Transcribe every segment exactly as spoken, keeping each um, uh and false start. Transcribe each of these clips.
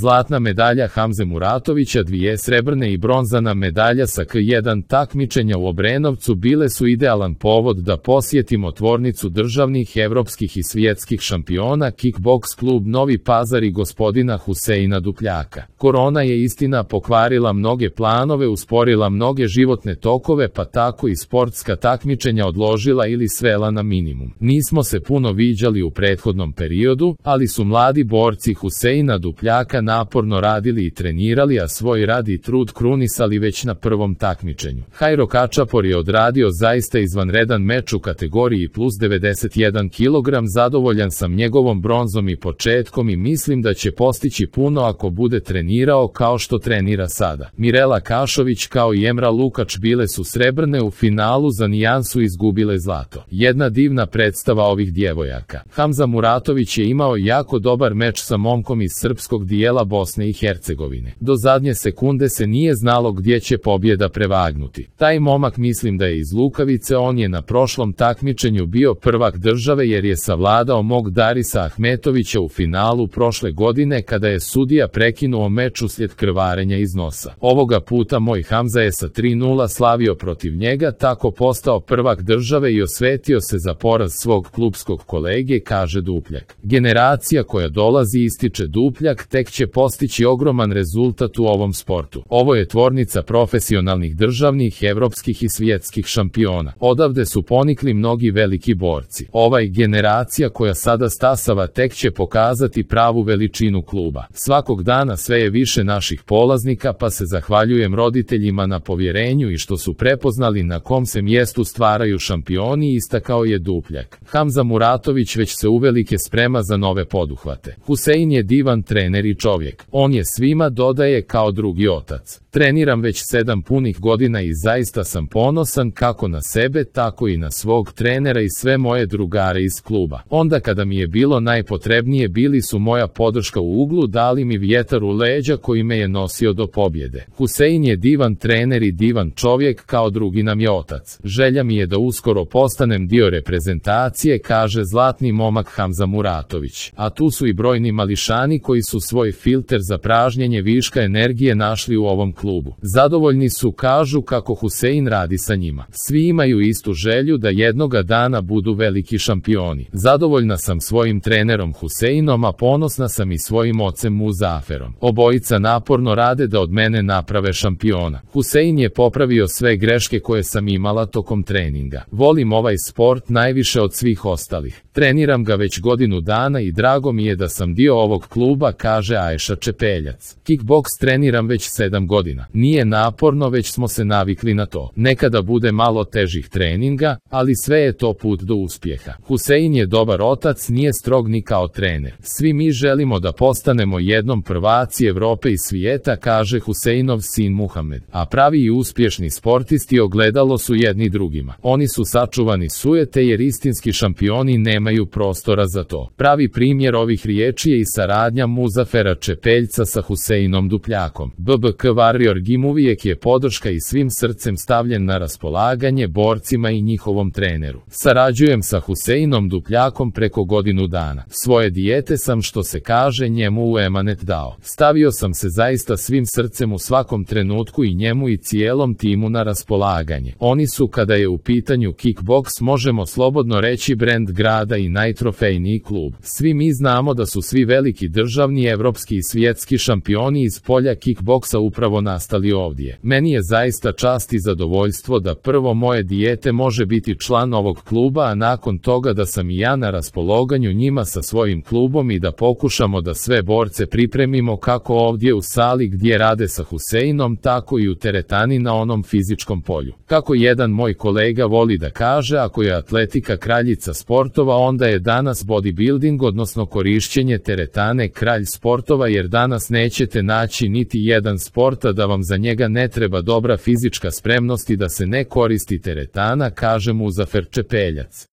Zlatna medalja Hamze Muratovića, dvije srebrne i bronzana medalja sa K jedan takmičenja u Obrenovcu bile su idealan povod da posjetimo tvornicu državnih, evropskih i svjetskih šampiona Kickboks klub Novi Pazar i gospodina Huseina Dupljaka. Korona je istina pokvarila mnoge planove, usporila mnoge životne tokove, pa tako i sportska takmičenja odložila ili svela na minimum. Nismo se puno viđali u prethodnom periodu, ali su mladi borci Huseina Dupljaka naporno radili i trenirali, a svoj rad i trud krunisali već na prvom takmičenju. Hajro Kačapor je odradio zaista izvanredan meč u kategoriji plus devedeset jedan kilogram. Zadovoljan sam njegovom bronzom i početkom i mislim da će postići puno ako bude trenirao kao što trenira sada. Mirela Kašović kao i Emra Lukač bile su srebrne, u finalu za nijansu izgubile zlato. Jedna divna predstava ovih djevojaka. Hamza Muratović je imao jako dobar meč sa momkom iz srpskog dijela Bosne i Hercegovine. Do zadnje sekunde se nije znalo gdje će pobjeda prevagnuti. Taj momak mislim da je iz Lukavice, on je na prošlom takmičenju bio prvak države jer je savladao mog Darisa Ahmetovića u finalu prošle godine kada je sudija prekinuo meč uslijed krvarenja iz nosa. Ovoga puta moj Hamza je sa tri nula slavio protiv njega, tako postao prvak države i osvetio se za poraz svog klubskog kolege, kaže Dupljak. Generacija koja dolazi, ističe Dupljak, tek će postići ogroman rezultat u ovom sportu. Ovo je tvornica profesionalnih državnih, evropskih i svjetskih šampiona. Odavde su ponikli mnogi veliki borci. Ovaj generacija koja sada stasava tek će pokazati pravu veličinu kluba. Svakog dana sve je više naših polaznika, pa se zahvaljujem roditeljima na povjerenju i što su prepoznali na kom se mjestu stvaraju šampioni, istakao je Dupljak. Hamza Muratović već se uvelike sprema za nove poduhvate. Husein je divan trener i čovjek. On je svima, dodaje, kao drugi otac. Treniram već sedam punih godina i zaista sam ponosan kako na sebe, tako i na svog trenera i sve moje drugare iz kluba. Onda kada mi je bilo najpotrebnije, bili su moja podrška u uglu, dali mi vjetar u leđa koji me je nosio do pobjede. Husein je divan trener i divan čovjek, kao drugi nam je otac. Želja mi je da uskoro postanem dio reprezentacije, kaže zlatni momak Hamza Muratović. A tu su i brojni mališani koji su svoj filter za pražnjenje viška energije našli u ovom klubu. Zadovoljni su, kažu kako Husein radi sa njima. Svi imaju istu želju da jednoga dana budu veliki šampioni. Zadovoljna sam svojim trenerom Huseinom, a ponosna sam i svojim ocem Muzaferom. Obojica naporno rade da od mene naprave šampiona. Husein je popravio sve greške koje sam imala tokom treninga. Volim ovaj sport najviše od svih ostalih. Treniram ga već godinu dana i drago mi je da sam dio ovog kluba, kaže Ajša Čepeljac. Kickboks treniram već sedam godina. Nije naporno, već smo se navikli na to. Nekada bude malo težih treninga, ali sve je to put do uspjeha. Husein je dobar otac, nije strog ni kao trener. Svi mi želimo da postanemo jednom prvaci Evrope i svijeta, kaže Huseinov sin Muhamed. A pravi i uspješni sportisti ogledalo su jedni drugima. Oni su sačuvani sujete jer istinski šampioni nemaju prostora za to. Pravi primjer ovih riječi je i saradnja Muzafera Čepeljca sa Huseinom Dupljakom. B B K Warrior Gym uvijek je podrška i svim srcem stavljen na raspolaganje borcima i njihovom treneru. Sarađujem sa Huseinom Dupljakom preko godinu dana. Svoje dijete sam, što se kaže, njemu u emanet dao. Stavio sam se zaista svim srcem u svakom trenutku i njemu i cijelom timu na raspolaganje. Oni su, kada je u pitanju kickboks, možemo slobodno reći, brend grada i najtrofejniji klub. Svi mi znamo da su svi veliki državni, evropski i svjetski šampioni iz polja kickboksa upravo nastali ovdje. Meni je zaista čast i zadovoljstvo da prvo moje dijete može biti član ovog kluba, a nakon toga da sam i ja na raspolaganju njima sa svojim klubom i da pokušamo da sve borce pripremimo kako ovdje u sali gdje rade sa Huseinom, tako i u teretani na onom fizičkom polju. Kako jedan moj kolega voli da kaže, ako je atletika kraljica sportova, onda je danas bodybuilding, odnosno korišćenje teretane, kralj sportova, jer danas nećete naći niti jedan sporta da vam za njega ne treba dobra fizička spremnost i da se ne koristi teretana, kaže Muzafer Čepeljac.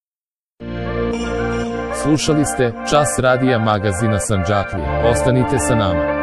Slušali ste Čas radija magazina Sandžaklija. Ostanite sa nama.